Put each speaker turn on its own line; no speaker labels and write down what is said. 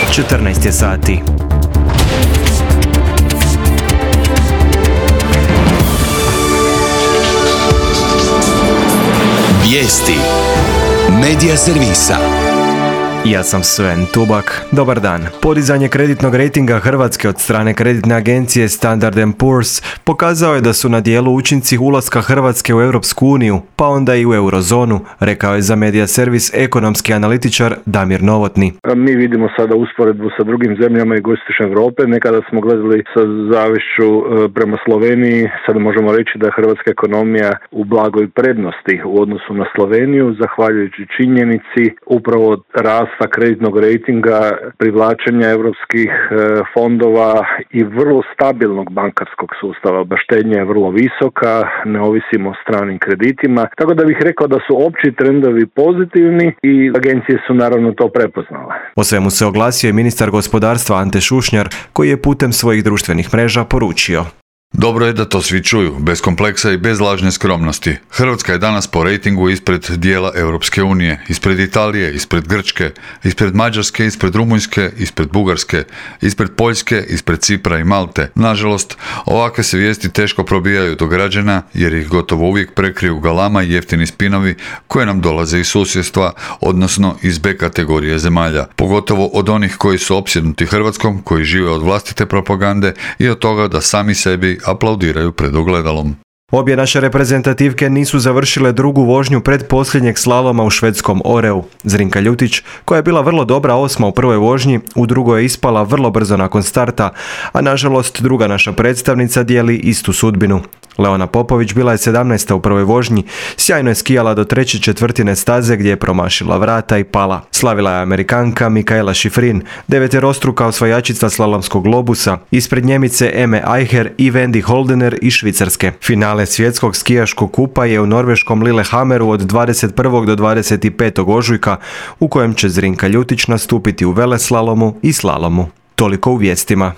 14 je sati.
Vijesti Medija servisa.
Ja sam Sven Tubak. Dobar dan. Podizanje kreditnog rejtinga Hrvatske od strane kreditne agencije Standard & Poor's pokazao je da su na dijelu učinci ulaska Hrvatske u Europsku uniju, pa onda i u eurozonu, rekao je za Medija servis ekonomski analitičar Damir Novotni.
Mi vidimo sada usporedbu sa drugim zemljama jugoistočne Europe. Nekada smo gledali sa zavišću prema Sloveniji, sada možemo reći da je hrvatska ekonomija u blagoj prednosti u odnosu na Sloveniju, zahvaljujući činjenici upravo rasta kreditnog rejtinga, privlačenja europskih fondova i vrlo stabilnog bankarskog sustava. Štednja je vrlo visoka, ne ovisimo o stranim kreditima, tako da bih rekao da su opći trendovi pozitivni i agencije su naravno to prepoznale.
O svemu se oglasio i ministar gospodarstva Ante Šušnjar, koji je putem svojih društvenih mreža poručio:
Dobro je da to svi čuju, bez kompleksa i bez lažne skromnosti. Hrvatska je danas po rejtingu ispred dijela Europske unije, ispred Italije, ispred Grčke, ispred Mađarske, ispred Rumunjske, ispred Bugarske, ispred Poljske, ispred Cipra i Malte. Nažalost, ovakve se vijesti teško probijaju do građana jer ih gotovo uvijek prekriju galama i jeftini spinovi koje nam dolaze iz susjedstva, odnosno iz B kategorije zemalja. Pogotovo od onih koji su opsjednuti Hrvatskom, koji žive od vlastite propagande i od toga da sami sebi aplaudiraju pred ogledalom.
Obje naše reprezentativke nisu završile drugu vožnju pred posljednjeg slaloma u švedskom Oreu. Zrinka Ljutić, koja je bila vrlo dobra osma u prvoj vožnji, u drugoj je ispala vrlo brzo nakon starta, a nažalost druga naša predstavnica dijeli istu sudbinu. Leona Popović bila je 17. u prvoj vožnji, sjajno je skijala do treće četvrtine staze gdje je promašila vrata i pala. Slavila je Amerikanka Mikaela Šifrin, deveterostruka osvajačica slalomskog globusa, ispred Njemice Eme Eicher i Wendy Holdener iz Švicarske. Finale svjetskog skijaškog kupa je u norveškom Lillehammeru od 21. do 25. ožujka, u kojem će Zrinka Ljutić nastupiti u veleslalomu i slalomu. Toliko u vijestima.